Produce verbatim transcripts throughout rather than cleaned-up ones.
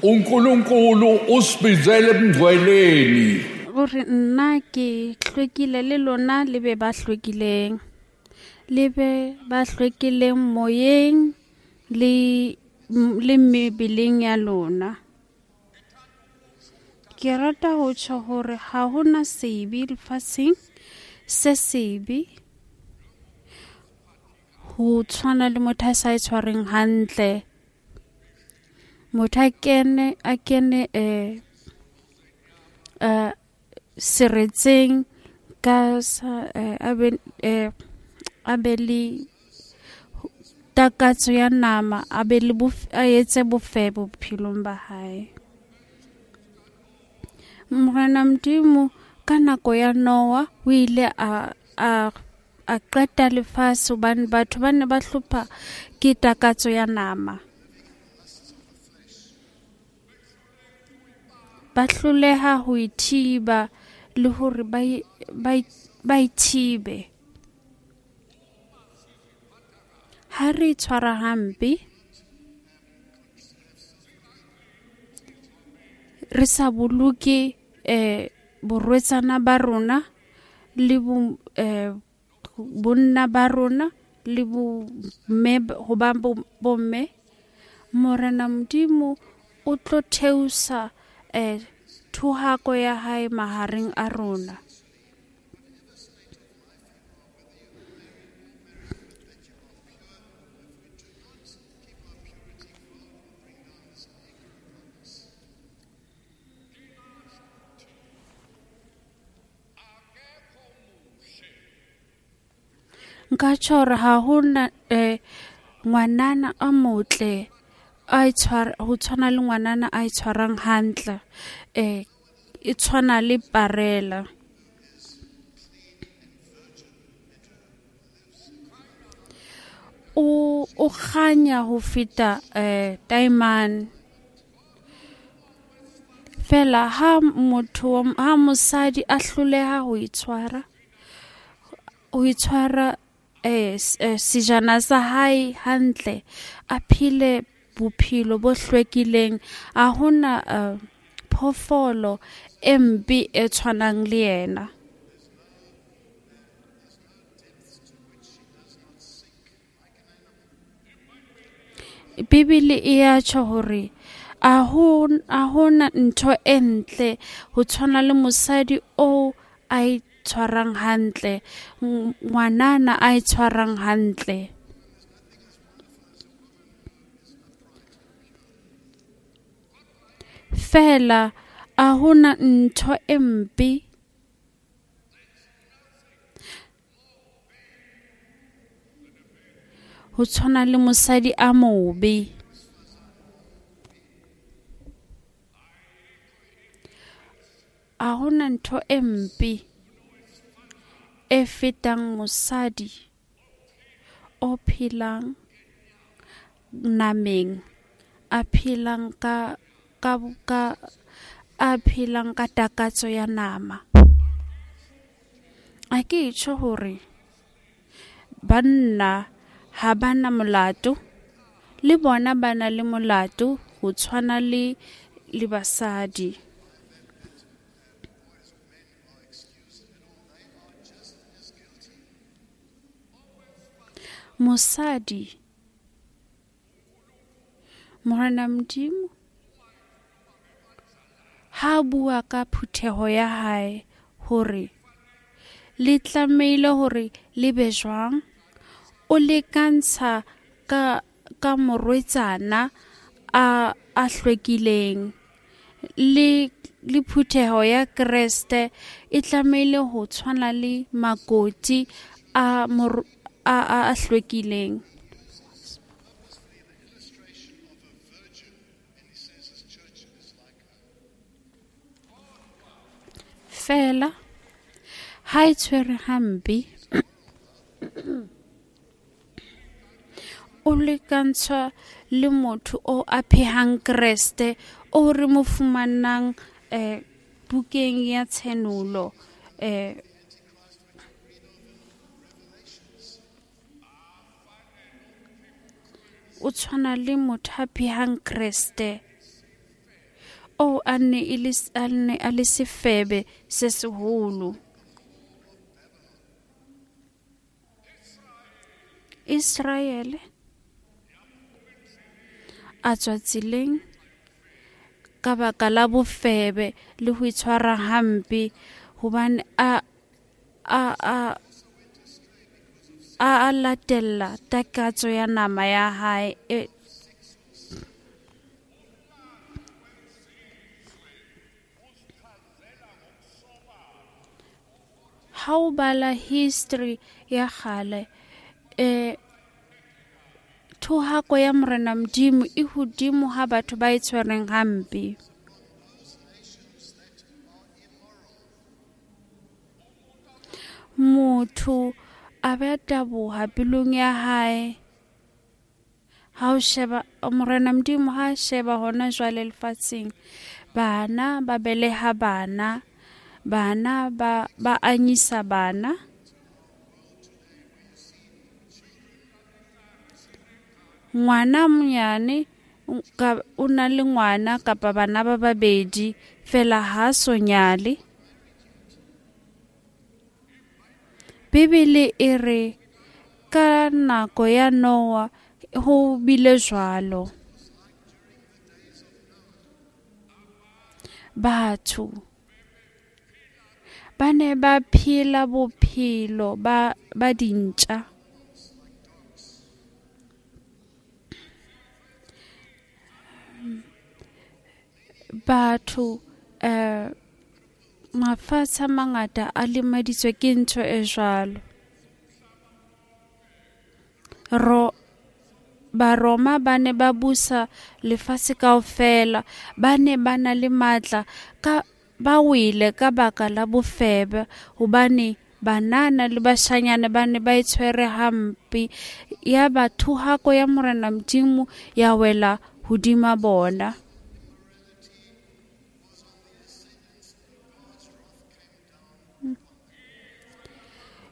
uNkulunkulu usibizele ebungcweleni. O re nna ke hlwekile le lona le be ba hlwekileng. Le be ba hlwekileng moyeng le le mebeleng ya lona. Ke rata ho tjho hore ha hona sebe lefatsheng se sebe ho tshwana le motho a sa e tshwareng hantle. Motho a kene a kene eh eh seretseng ka sa eh, a be eh, a be le takatso ya nama, a be le a etse bofebo bophelong ba hae. Morena Modimo ka nako ya Noah o ile a a a qeta lefatshe hobane batho ba ne ba hlopha ke takatso ya nama. Ba hloleha ho ithiba le hore ba ba ba ithibe. Ha re itshwara hampe, re sa boloke eh borwetsana ba rona le bo eh bonna ba rona le bo mme ho ba bomme, Morena Modimo o tlo theosa eh thohako ya hae mahareng a rona. Nka tjho hore ha hona eh ngwanana a motle a itshwara ho tshwana le ngwanana a itshwarang hantle, eh e tshwana le parela. O o kganya ho feta eh diamond. Fela ha motho ha mosadi a hloleha ho itshwara ho itshwara eh sejana sa hae hantle, a phile bophelo bo hlwekileng, a hona phoofolo e mpe e tshwanang le yena. Bibele e ya tjho hore a ho a hona ntho e ntle ho tshwana le mosadi o a itshwarang hantle, ngwanana a itshwarang hantle. Fela a hona ntho e mpe ho tshwana le mosadi a mobe. A hona ntho e mpe e fetang mosadi o phelang nameng, a phelang ka ka ka a phelang ka takatso ya nama. A ke tjho hore banna ha bana molato, le bona ba na le molato ho tshwana le le basadi. Mosadi, Morena Modimo ha bua ka phutheho ya hae hore le tlamehile hore le be jwang, o lekantsha ka ka morwetsana a a hlwekileng le le phutheho ya Kreste e tlamehile ho tshwana le makoti a mor a a hlwekileng. Fela ha e tshwere hampe, o lekantshwa le motho o a phehang Kreste o re mo fumanang eh bukeng ya Tshenolo eh o tshwana le motho a phehang Kreste. O a ne e le a ne a le sefebe se seholo. Israele a tswa tseleng ka baka la bofebe le ho itshwara hampe, hobane a a a a a latella takatso ya nama ya hae. E, ha o bala history ya kgale, eh thohako ya Morena Modimo e hodimo ha batho ba e tshwereng hampe. Motho a be a taboha pelong ya hae. Ha o sheba Morena Modimo ha sheba hona jwale lefatsheng, bana ba beleha bana, bana ba ba anyisa bana. Ngwana monyane ka o na le ngwana kapa bana ba babedi fela ha so nyale. Bibele e re ka nako ya Noah ho bile jwalo. Batho ba ne ba phela bophelo ba ba dintja. Batho eh mafatshe a mangata a lemaditswe ke ntho e jwalo. Ro Baroma ba ne ba busa lefatshe kaofela, ba ne ba na le matla ka ba wele ka baka la bofebe, hobane banana le bashanyana ba ne ba e tshwere hampe. Ya ba thohako ya Morena Modimo ya wela hodima bona.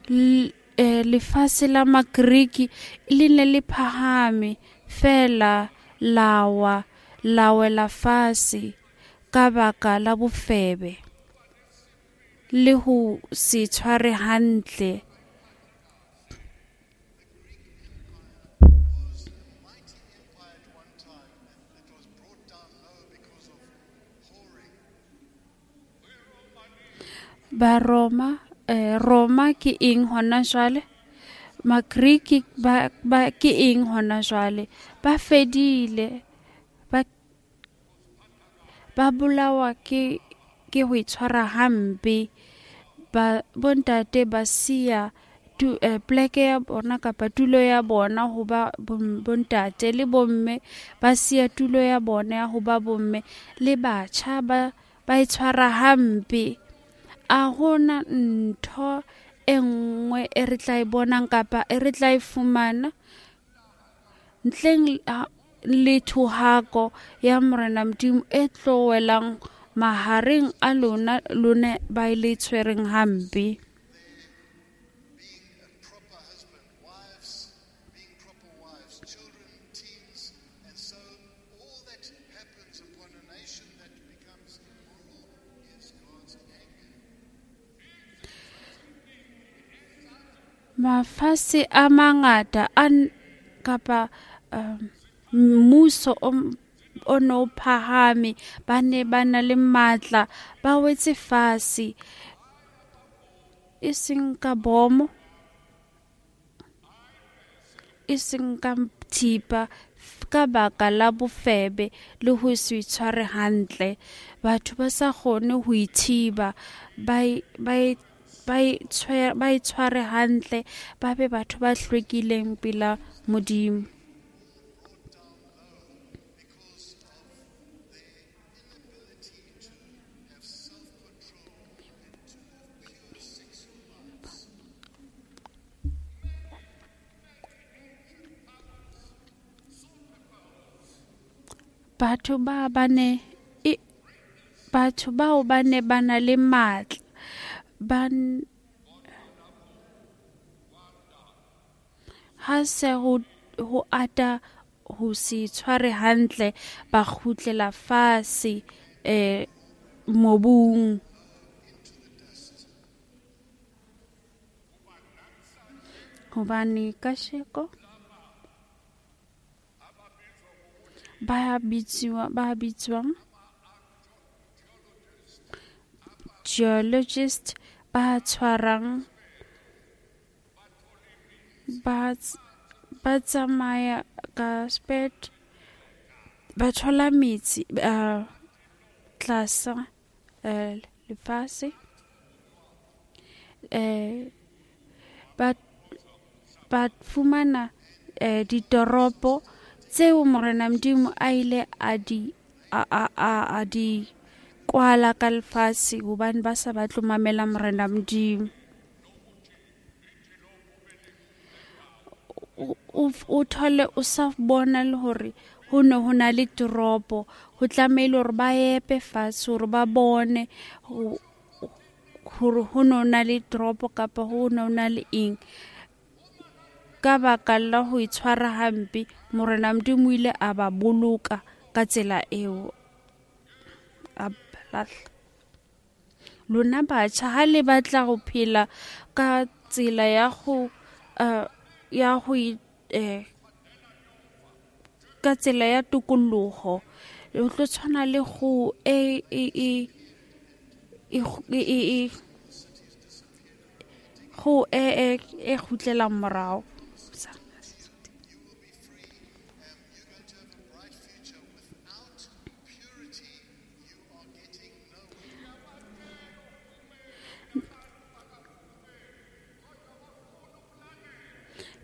L- eh, lefatshe la Magriki le ne le phahame fela la wa la wela fatshe ka baka la bofebe le ho se tshware hantle. Was a mighty empire at one time that was brought down low because of whoring. Baroma eh, Roma ke eng hona jwale? Magriki ba, ba ke eng hona jwale? Ba fedile, ba ba bolawa ke ke ho itshwara hampe. Ba bontate ba siya tu, eh, pleke ya bona kapa tulo ya bona ho ba bom- bontate, le bomme ba siya tulo ya bona ya ho ba bomme, le batjha ba ba itshwara hampe. A hona ntho e nngwe e re tla e bonang kapa e re tla e fumana ntleng ha- le thohako ya Morena Modimo e tlo welang mahareng a lona, lone ba e le tshwereng hampe. Being a proper husband, wives being proper wives, children, teens, and so all that happens upon a nation that becomes immoral is God's anger. Mafatshe a mangata a n- kapa um, mmuso o m- o no phahame, ba ne ba na le matla, ba wetse fatshe, e seng ka bomo, e seng ka thipa, ka baka la bofebe le ho se itshware hantle. Batho ba sa kgone ho ithiba, ba e- ba e- ba itshware ba itshware hantle, ba be batho ba hlwekileng pela Modimo. Brought down low because of their inability to have self-control and to live pure sexual lives. Batho ba ba ne e batho bao ba ne ba na le matla, ba n- ha se ho ho ata ho se tshware hantle, ba kgutlela fatshe eh mobung. Hobane kasheko ba bitsiwa ba bitswang geologist ba tshwarang ba ba tsamaya ka sped ba thola metsi uh, tlasa uh, lefatshe eh ba ba fumana eh, ditoropo tseo Morena Modimo a ile a di a a a, a di kwala ka lefatshe hobane ba sa batle mamela Morena Modimo. O o thole o sa bona le hore ho ne ho na le toropo, ho tlamehile hore ba epe fatshe hore ba bone hore ho ne ho na le toropo kapa ho ne ho na le eng. Ka baka la ho itshwara hampe, Morena Modimo o ile a ba boloka ka tsela eo. A lahla. Lona batjha ha le batla ho phela ka tsela ya ho uh, ya ho eh, ka tsela ya tokoloho, o tlo tshwana le go e e e e e go e e e kgutlelang morao.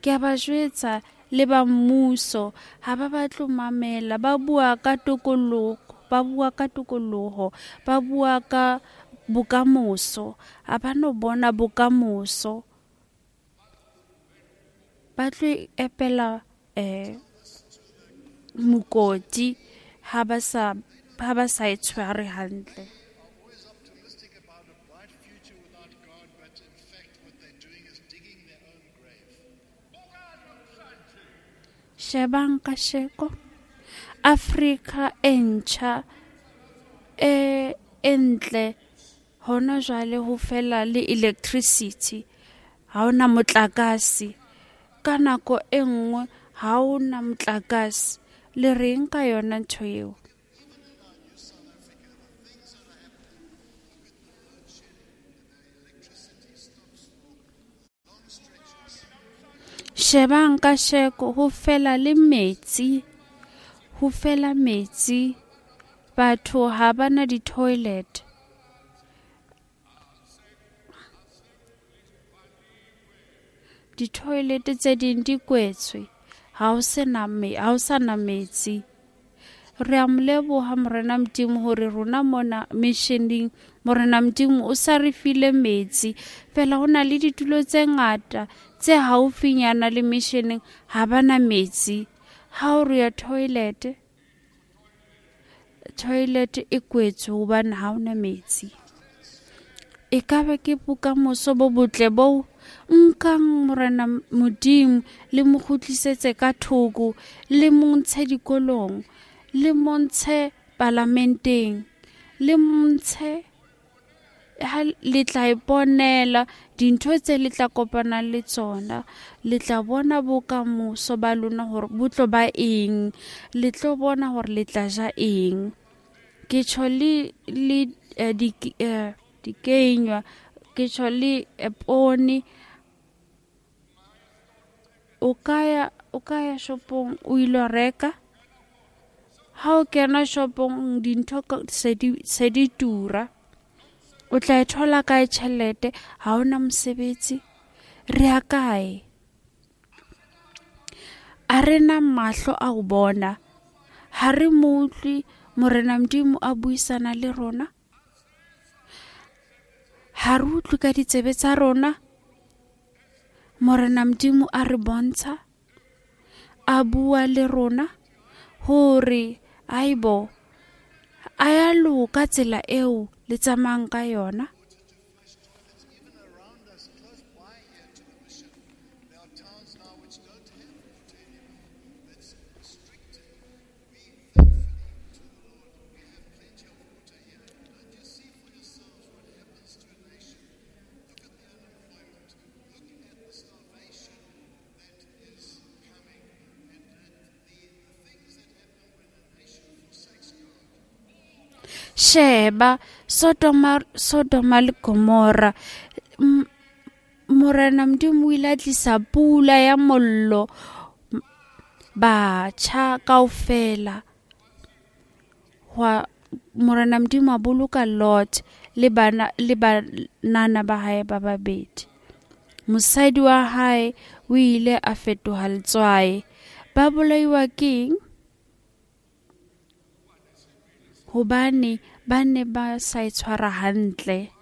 Ke a ba jwetsa le ba mmuso ha ba batle ho mamela, ba bua ka tokoloho, ba bua ka tokoloho, ba bua ka bokamoso, ha ba no bona bokamoso. Ba tlo epela eh mokoti ha ba sa ha ba sa e tshware hantle. Shebang kasheko Afrika e ntjha e entle hona jwale ho fela le electricity, ha hona motlakase. Ka nako e nngwe ha hona motlakase. Le reng ka yona ntho eo? Shebang kasheko ho fela le metsi, ho fela metsi, batho ha bana di-toilet. Di-toilet tse ding di kwetswe, ha ho sena me, ha ho sana metsi. Re a mo leboha Morena Modimo hore rona mona missioning Morena Modimo o sa re file metsi. Fela ho na le ditulo tse ngata tse haufinyana le missioning ha bana metsi. Ha o re ya toilet, toilet e kwetswe hobane ha hona metsi. E ka ba ke bokamoso bo botle bo nkang Morena Modimo le mo kgutlisetse ka thoko, le mo ntshe dikolong, le mo ntshe palamenteng, le mo ntshe ha le tla iponela dintho tse le tla kopana le tsona. Le tla bona bokamoso ba lona hore bo tlo ba eng, le tlo bona hore le tla ja eng. Ke tjho le le eh, di eh, dikenywa, ke tjho le eh, poone. O ka ya o ka ya shopong o ilo reka. Ha o kena shopong dintho se di se di tura. O tla e thola kae tjhelete? Ha hona mosebetsi. Re ya kae? A re na mahlo a ho bona. Ha re mo utlwe Morena Modimo a buisana le rona. Ha re utlwe ka ditsebe tsa rona. Morena Modimo a re bontsha, a bua le rona hore aibo a ya loka tsela eo le tsamayang ka yona. Sheba Sodoma, Sodoma le Gomora, Morena Modimo o ile a tlisa pula ya mollo, batjha kaofela. Hwa Morena Modimo a boloka Lot le bana le banana ba hae ba babedi. Mosadi wa hae o ile a fetoha letswai. Ba bolaiwa keng? Hobane ba ne ba sa itshwara hantle.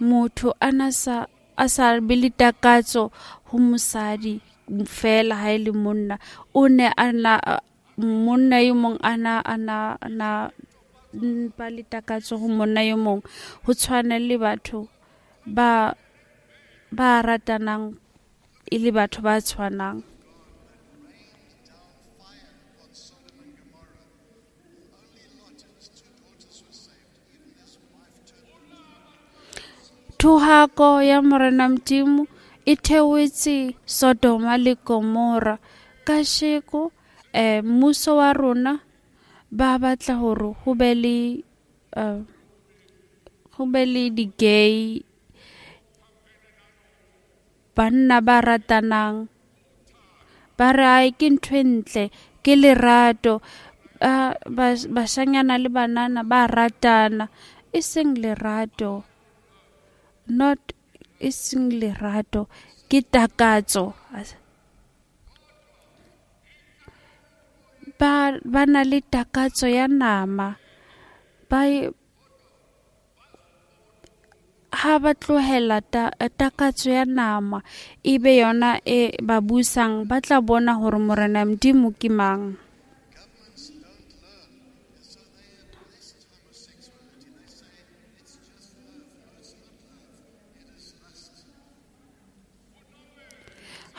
Motho a na sa a sa be le takatso ho mosadi fela ha e le monna. O ne a na monna e mong a na a na a na ba le takatso ho monna e mong. Ho tshwana le batho ba ba ratanang e le batho ba tshwanang. Thohako ya Morena Modimo e theohetse Sodoma le Gomora. Kasheko eh mmuso wa rona ba batla hore ho be le eh ho be le di-gay, banna ba ratanang, ba re ai ke ntho e ntle, ke lerato, bashanyana le banana ba ratana, e seng lerato, not e seng lerato, ke takatso. Ba ba na le takatso ya nama, ba ha ba tlohela ta, takatso ya nama e be yona e ba busang, ba tla bona hore Morena Modimo ke mang.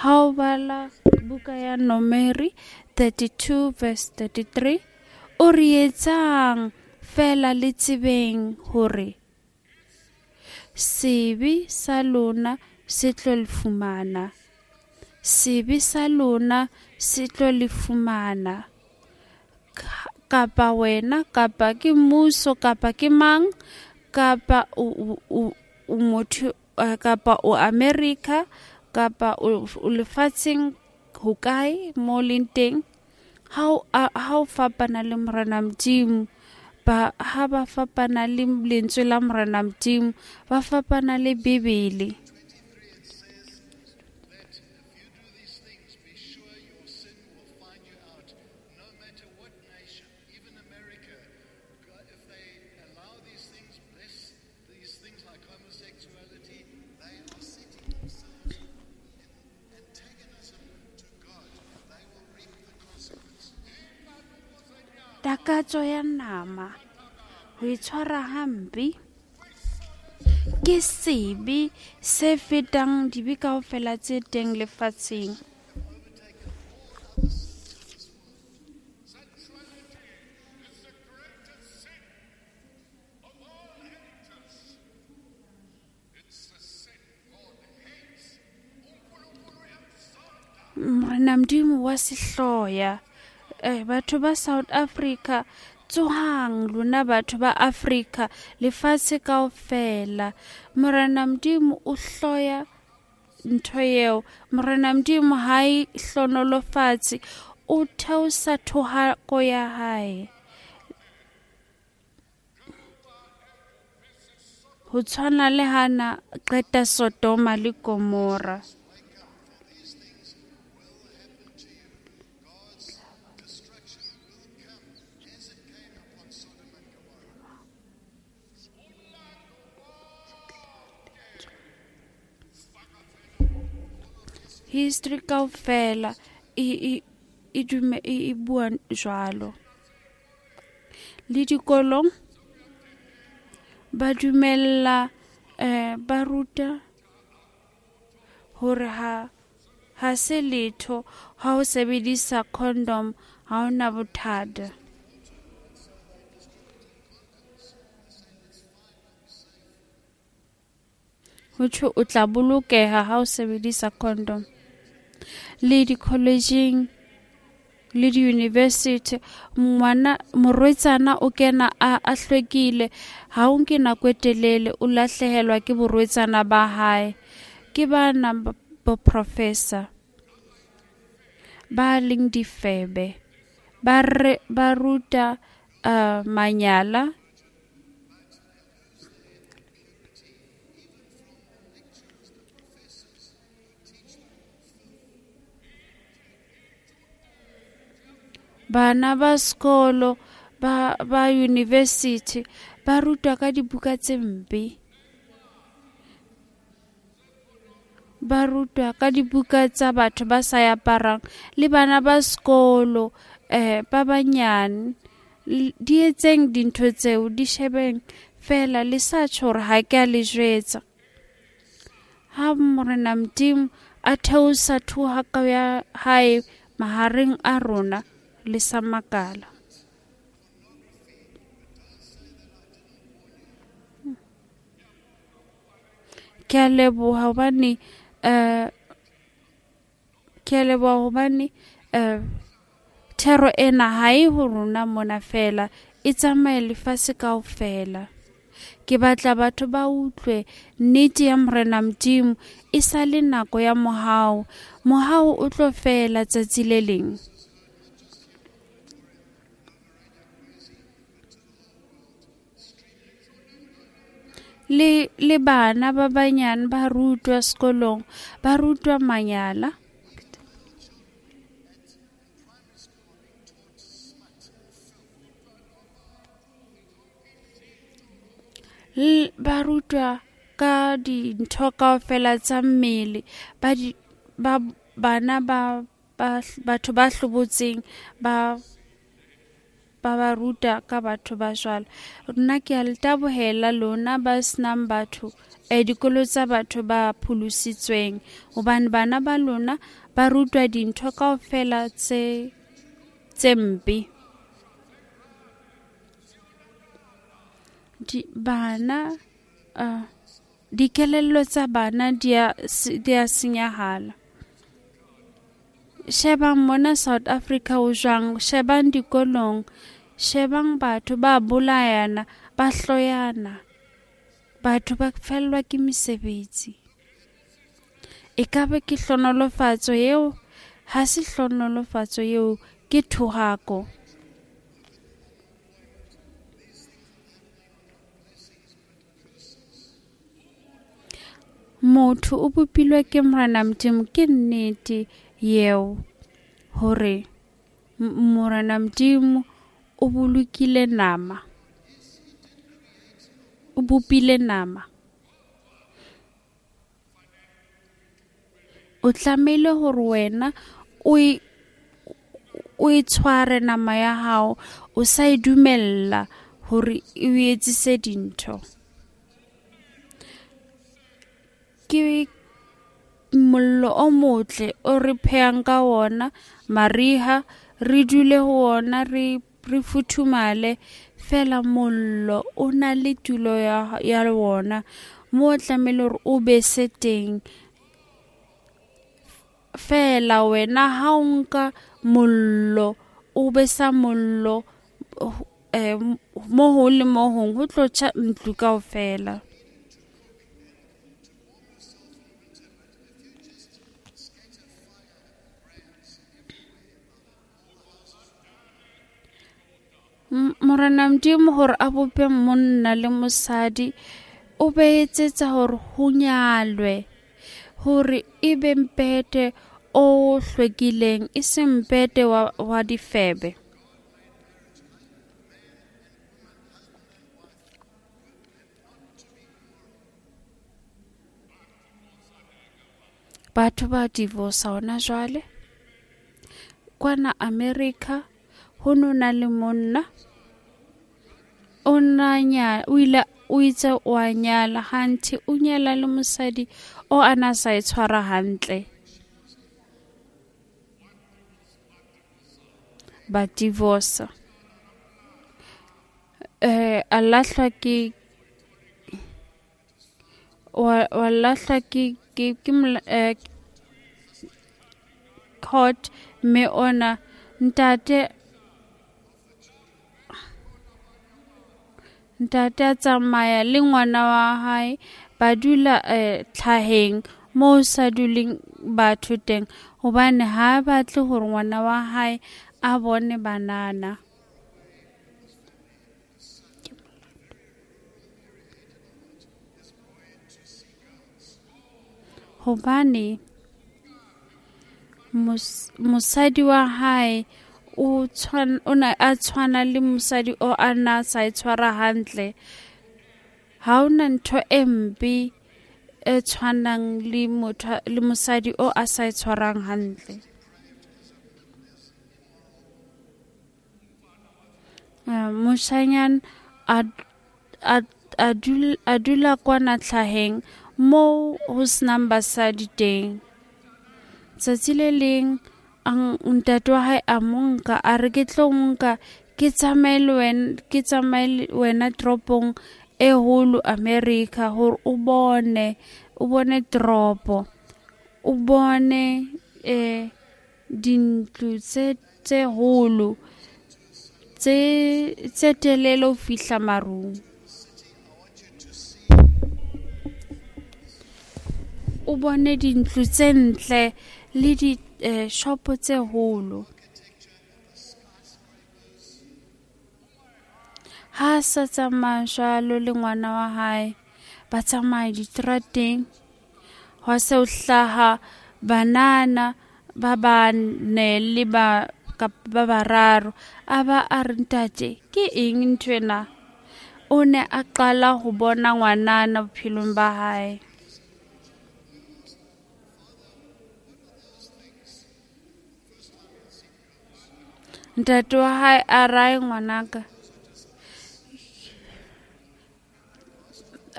Ha o bala buka ya Nomeri thirty-two verse thirty-three, o re etsang fela le tsebeng hore sebe sa lona se tlo le fumana, sebe sa lona se tlo le fumana. Kapa wena, kapa ke mmuso, kapa ke mang, kapa o o o motho, kapa o America, kapa o lefatsheng hokae mo leng teng, ha o ha o fapana le Morena Modimo, ba ha ba fapana le lentswe la Morena Modimo, ba fapana le Bibele. Takatso ya nama, ho itshwara hampe ke sebe se fetang dibe kaofela tse teng lefatsheng. Morena Modimo wa sehloya. Eh, batho ba South Africa, tsohang lona batho ba Africa, lefatshe kaofela. Morena Modimo o hloya ntho eo. Morena Modimo ha e hlonolofatse, o theosa thohako ya hae. Ho tshwana le hana qeta Sodoma le Gomora. History kaofela e e e dume e bua jwalo. Le dikolong ba dumella eh ba ruta hore ha ha se letho ha o sebedisa condom ha ona bothata. Ho thwe o tla bolokeha ha o sebedisa condom. Le di-collegeng le di-university, ngwana morwetsana o kena a a hlwekile, ha o nke nako e telele o lahlehelwa ke borwetsana ba hae. Ke bana bo professor ba leng difebe, ba re ba ruta uh, manyala. Bana ba sekolo ba ba university ba rutwa ka dibuka tse mpe, ba rutwa ka dibuka tsa batho ba sa aparang. Le bana ba sekolo eh ba banyane, di etseng dintho tseo, di shebeng fela, le sa tjho hore ha ke a le jwetsa. Ha Morena Modimo a theosa thuhaka ya hae mahareng a rona, le sa makala. Ke a leboha hobane eh ke a leboha hobane eh thero ena ha e ho rona mona fela, e tsamaye lefatshe kaofela. Ke batla batho ba utlwe nnete ya Morena Modimo, e sa le nako ya mohau. Mohau o tlo fela tsatsi le leng. Le le bana ba banyane ba rutwa sekolong, ba rutwa manyala. L ba rutwa ka dintho kaofela tsa mmele, ba di ba bana ba ba batho ba hlobotseng ba ba ba ruta ka batho ba jwalo. Nna ke a le tabohela lona ba senang batho eh dikolo tsa batho ba pholositsweng, hobane bana ba lona ba rutwa dintho kaofela tse tse mpe. Di bana uh, dikelello tsa bana di a di a senyahala. Shebang mona South Africa o jwang, shebang dikolong, shebang batho ba bolayana, ba hloyana, batho ba fellwa ke mesebetsi. Ekabe ke hlonolofatso eo? Ha se hlonolofatso eo, ke thohako. Motho o bopilwe ke Morena Modimo, ke nnete eo hore Morena Modimo o bolokile nama, o bopile nama. O tlamehile hore wena o e o e tshware nama ya hao, o sa e dumella hore e o etsise dintho. Ke mollo o motle o re phehang ka wona mariha, re dule ho wona, re re futhumale fela. Mollo o na le tulo ya ya wona mo o tlamehile hore o bese teng fela. Wena ha o nka mollo o besa mollo eh mo ho le mo hong, ho tlo tjha ntlo kaofela. Morena Modimo hore a bope monna le mosadi, o be etsetsa hore ho nyalwe, hore e be mpete o hlwekileng, e seng mpete wa, wa difebe. Batho ba divorce hona jwale. Kwana America ho no na le monna o na nya o ile o itse o a nyala, hanthe o nyala le mosadi o ana sa e tshwara hantle. Ba divorce. Eh a lahlwa ke wa wa lahlwa ke ke ke eh, court, mme ona Ntate ntate a tsamaya le ngwana wa hae, ba dula eh, tlhaheng moo sa duleng batho teng, hobane ha a batle hore ngwana wa hae a bone banana. Hobane mos- mosadi wa hae o tshwan- o ne a tshwana le mosadi o a na sa e tshwara hantle. Ha hona ntho e mpe e tshwanang le motho le mosadi o a sa e tshwarang hantle. Uh, moshanyana a a a dul- a dula kwana tlhaheng moo ho senang basadi teng. Tsatsi le leng a n- ntate wa hae a mo nka, a re ke tlo nka ke tsamaye le wena, ke tsamaye le wena toropong e holo America, hore o bone o bone toropo, o bone eh dintlo tse tse holo tse tse telele ho fihla marung. O bone dintlo tse ntle le di eh, shopo tse holo. Ha a sa tsamaya jwalo le ngwana wa hae, ba tsamaya diterateng, hwa se ho hlaha banana ba bane le ba kapa ba bararo. A ba a re, ntate ke eng nthwena? O ne a qala ho bona ngwanana bophelong ba hae. Ntate wa hae a rae ngwanaka,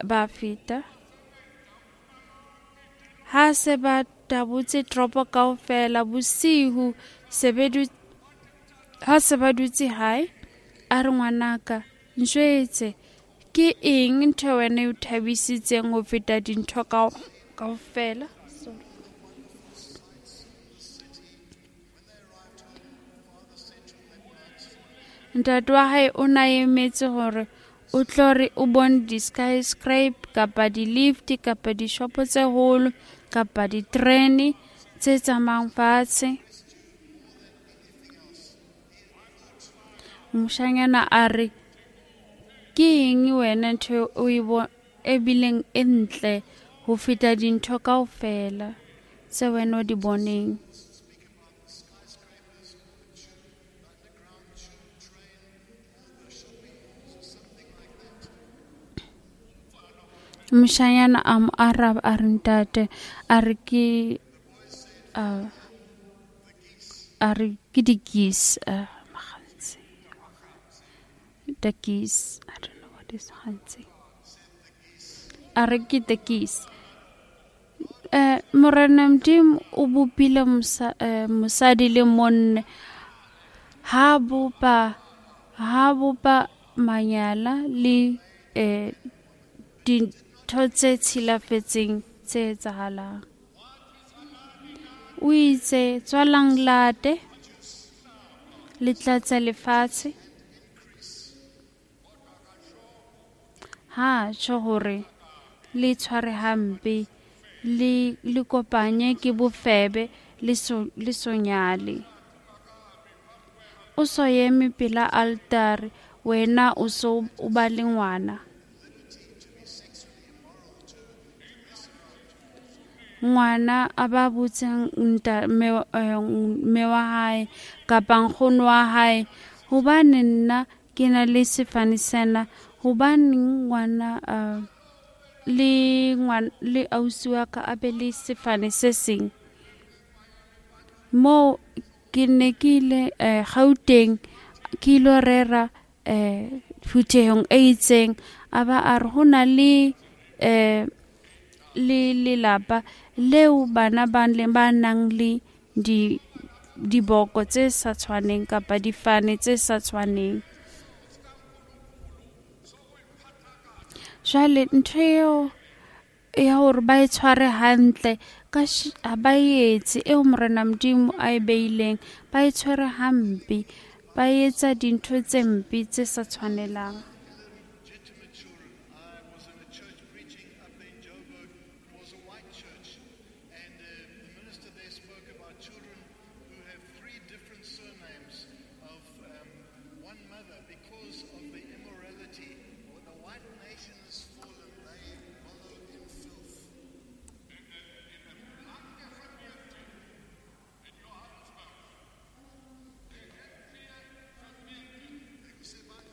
ba feta. Ha se ba tabotse toropo kaofela bosihu, se be du- ha se ba dutse hae, a re ngwanaka, njwetse ke eng ntho e wena e o thabisitseng ho feta dintho kao kaofela? Sorry. Ntate wa hae o na emetse hore o tlo re o bone di-skyscraper kapa di-lift kapa dishopo tse holo kapa diterene tse tsamayang fatshe. Moshanyana a re, ke eng wena ntho o e bo e bileng e ntle ho feta dintho kaofela tse wena o di boneng? Moshanyana a mo araba a re, ntate, a re ke uh, a re ke di-geese, uh, makgantsi, the geese, I don't know what is kgantsi, a re ke the geese. Eh, Morena Modimo o bopile mosa, eh, mosadi le monna, ha bopa ha bopa manyala le eh, dintho tse tshilafetseng tse etsahalang. O itse tswalang late le tlatse lefatshe. Ha tjho hore le tshware hampe, le le kopanye ke bofebe, le so le so nyale. O so eme pela altare, wena o so o ba le ngwana. Ngwana a ba botseng nta mme eh, mme wa hae kapa nkgono wa hae, hobane nna ke na le sefane sena, hobaneng ngwana uh, le ngwana le ausi wa ka a be le sefane se seng? Moo ke ne ke ile eh, Gauteng, ke ilo rera eh, phuthehong e itseng, a ba a re ho na le eh, le lelapa leo bana ba le ba nang le di diboko tse sa tshwaneng kapa difane tse sa tshwaneng. Jwale ntho eo ya hore ba e tshware hantle ka Ka ha ba etse eo Morena Modimo a e beileng, ba e tshwere hampe, ba etsa dintho tse mpe tse sa tshwanelang. Illegitimate children. I was in a church preaching up there in Joburg. It was a white church. And uh, the minister there spoke about children who have three different surnames of um, one mother because of the immorality. When the white nation has fallen, they wallow in filth.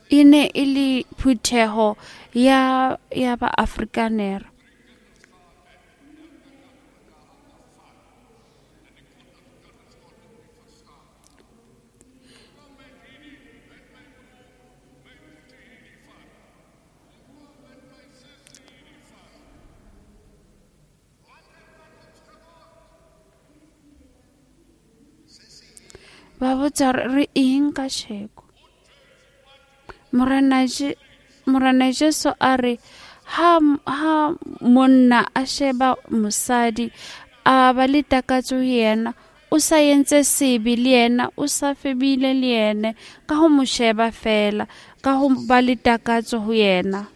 E ne e le phutheho ya ya ba Afrikaner. Ba botsa hore re eng kasheko. Morena Je- Morena Jesu a re ha ha monna a sheba mosadi a ba le takatso ho yena, o sa entse sebe le yena, o sa febile le yena ka ho mo sheba fela, ka ho ba le takatso ho yena.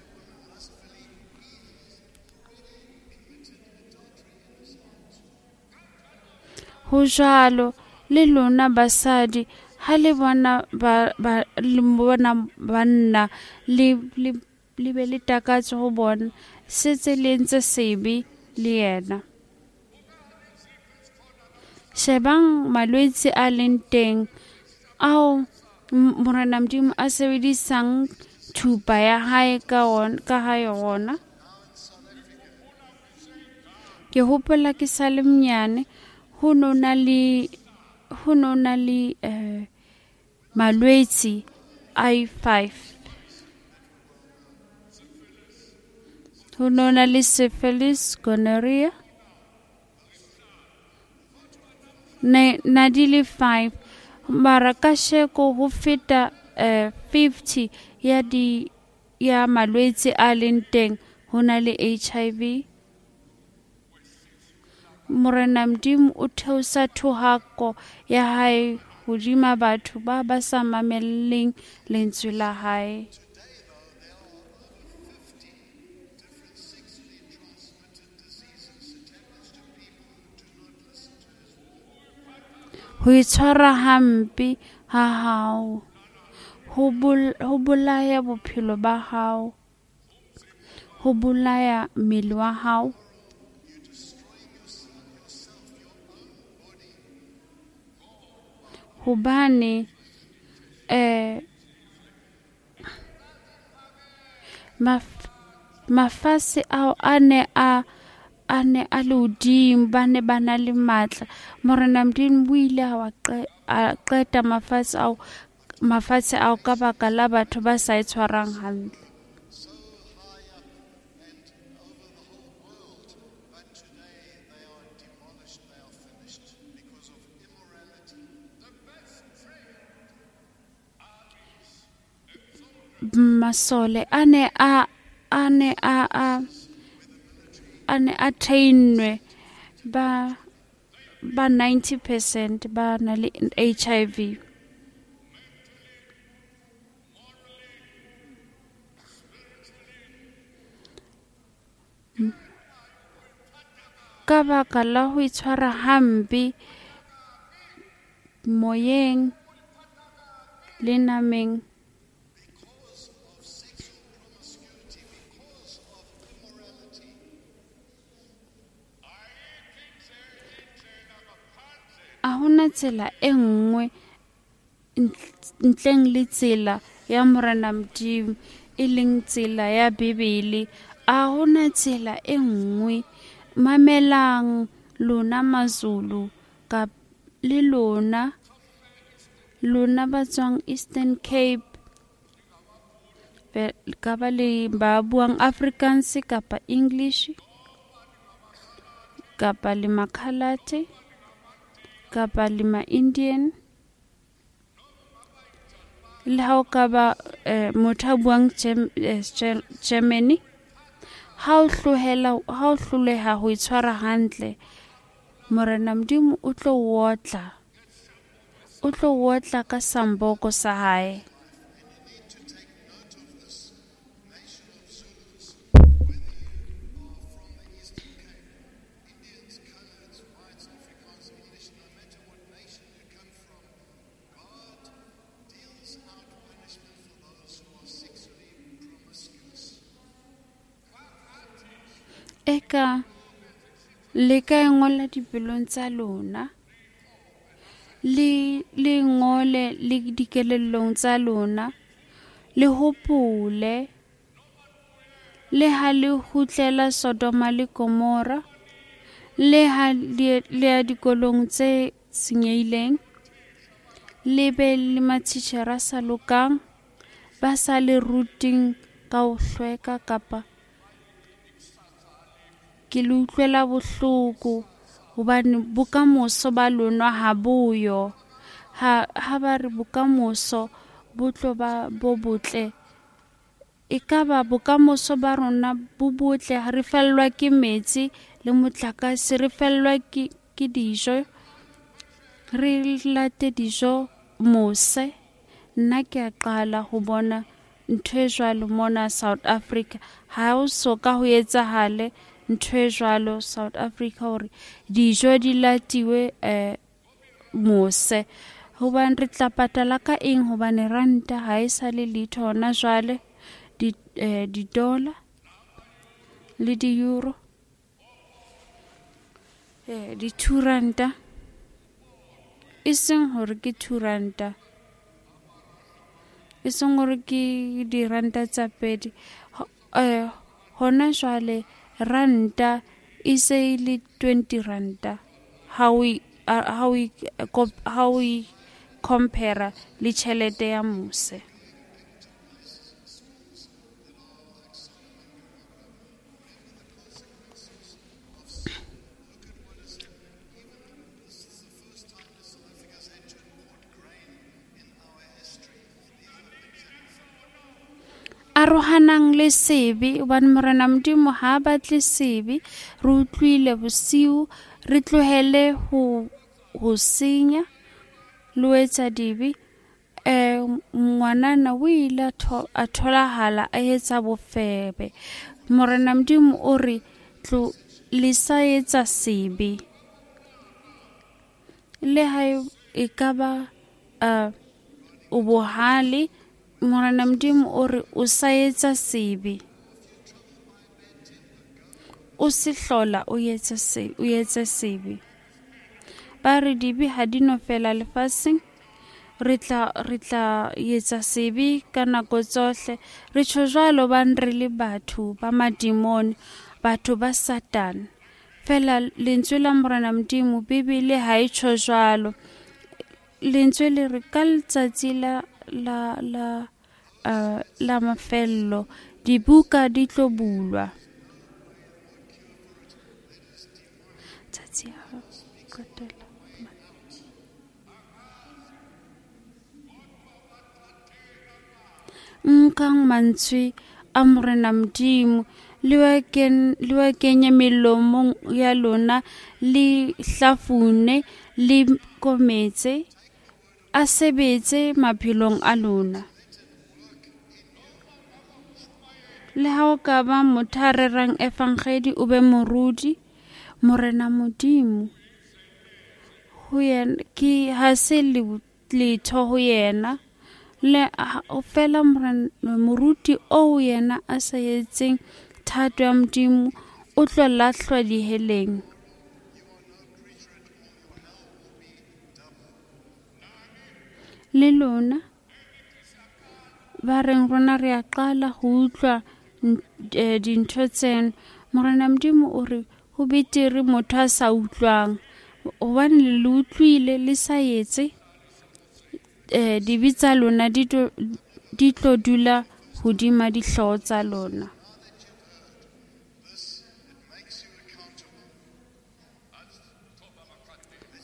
Ho jwalo le lona basadi ha le bona ba ba le bona banna le le le be le takatso ho bona, setse le entse sebe le yena. Shebang malwetse a leng teng ao Morena Modimo a sebedisang thupa ya hae ka ona ka ha yona. Ke hopola ke sa le monyane, ho no na le ho no na le eh, malwetse a five. Ho no na le syphilis, gonorrhea. Ne na di le five. Mara kasheko ho feta eh, fifty ya di ya malwetse a leng teng, ho na le H I V. Morena Modimo o theosa thohako ya hae hodima batho ba ba sa mamelleng lentswe la hae. Today, though, there are over fifty different sexually transmitted diseases. It happens to people who do not listen to his word. Ho itshwara hampe ha hao ho bol- ho bolaya bophelo ba hao, ho bolaya mmele wa hao. You're destroying yourself, yourself, your own body. Hobane eh maf- mafase ao a ne a a ne a le hodimo, ba ne ba na le matla. Morena Modimo o ile a wa qe- a qeta mafatshe ao mafatshe ao ka baka la batho ba sa e tshwarang hantle. So high up and over the whole world, but today they are demolished, they are finished because of immorality. Masole a ne a a ne a a a ne a trainwe ba ba ninety percent ba na le H I V. Ka baka la ho itshwara hampe moyeng le nameng. Because of sexual promiscuity, because of immorality. A hona tsela e nngwe ntleng le tsela ya Morena Modimo, e leng tsela ya Bibele. A hona tsela e nngwe. Mamelang lona Mazulu ka le lona lona ba tswang Eastern Cape, ka ba le ba buang Afrikaans kapa English kapa le Makhalate kapa le ma Indian, le ha o ka ba eh, motho a buang Germany, ha o hlohela ha o hloleha ho itshwara hantle, Morena Modimo o tlo otla, o tlo otla ka samboko sa hae. Eka le ka ngola dipelong tsa lona, le le ngole le dikelellong tsa lona, le hopole le ha le kgutlela Sodoma le Gomora, le ha le ya dikolong tse senyehileng, le be le matitjhere a sa lokang, ba sa le ruting ka ho hlweka kapa ke le utlwela bohloko hobane bokamoso ba lona ha boyo. Ha ha ba re bokamoso bo tlo ba bo botle, ekaba bokamoso ba rona bo botle ha re fellwa ke metsi le motlakase, re fellwa ke ke dijo, re late dijo mose. Nna ke a qala ho bona ntho e jwalo mona South Africa. Ha o so ka ho etsahale ntho e jwalo South Africa hore dijo di latiwe eh mose, hobane re tla patala ka eng? Hobane ranta ha e sa le letho hona jwale, di eh, di-dollar le di-euro, eh di-two ranta, e seng hore ke two ranta, e seng hore ke diranta tsa pedi. Eh hona jwale ranta e se e le twenty ranta ha o ha o ha o compare le tjhelete ya mose. Arohanang le sebe, hobane Morena Modimo ha a batle sebe. Re utlwile bosiu, re tlohele ho ho senya le ho etsa dibe. Eh ngwanana o ile a tholahala a etsa bofebe. Morena Modimo o re tlo le sa etsa sebe, le ha e ka ba o bohale. Morena Modimo o re o sa etsa sebe, o se hlola o etsa se o etsa sebe. Ba re dibe ha di no fela lefatsheng, re tla re tla etsa sebe ka nako tsohle. Re tjho jwalo hobane re le batho ba madimone, batho ba Satane. Fela lentswe la Morena Modimo Bibele ha e tjho jwalo. Lentswe le re ka letsatsi la la la uh, la mafello dibuka di tlo bulwa. Tsatsi ha qetela. Nkang mantswe a Morena Modimo le wa ken le wa kenye melomong ya lona, le hlafune le kometse, a sebetse maphelong a lona. Le ha o ka ba motho a rerang evangeli, o be morudi, Morena Modimo ho yena ke ha se letho ho yena. Le o fela morena moruti o yena a sa etseng thato ya Modimo o tlo lahlwa diheleng. Le lona ba reng rona re a qala ho utlwa dintho tseno. Morena Modimo o re ho betere motho a sa utlwang, hobane le utlwile le sa etse, eh dibe tsa lona di tlo dula hodima dihlooho tsa lona.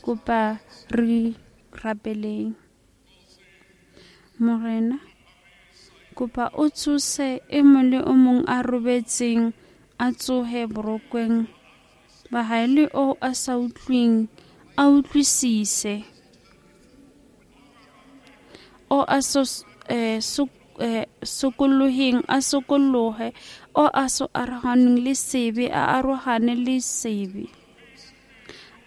Kopa re rapeleng. Morena, kopa o tsose e mong le o mong a robetseng, a tsohe borokweng. Ba hae, le o a sa utlweng a utlwisise, o a so eh, so eh, sokoloheng a sokolohe, o a so arohaneng le sebe a arohane le sebe,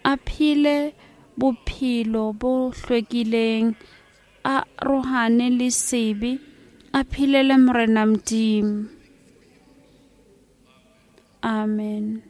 a phele bophelo bo hlwekileng, a arohane le sebe, a phelele Morena Modimo. Amen.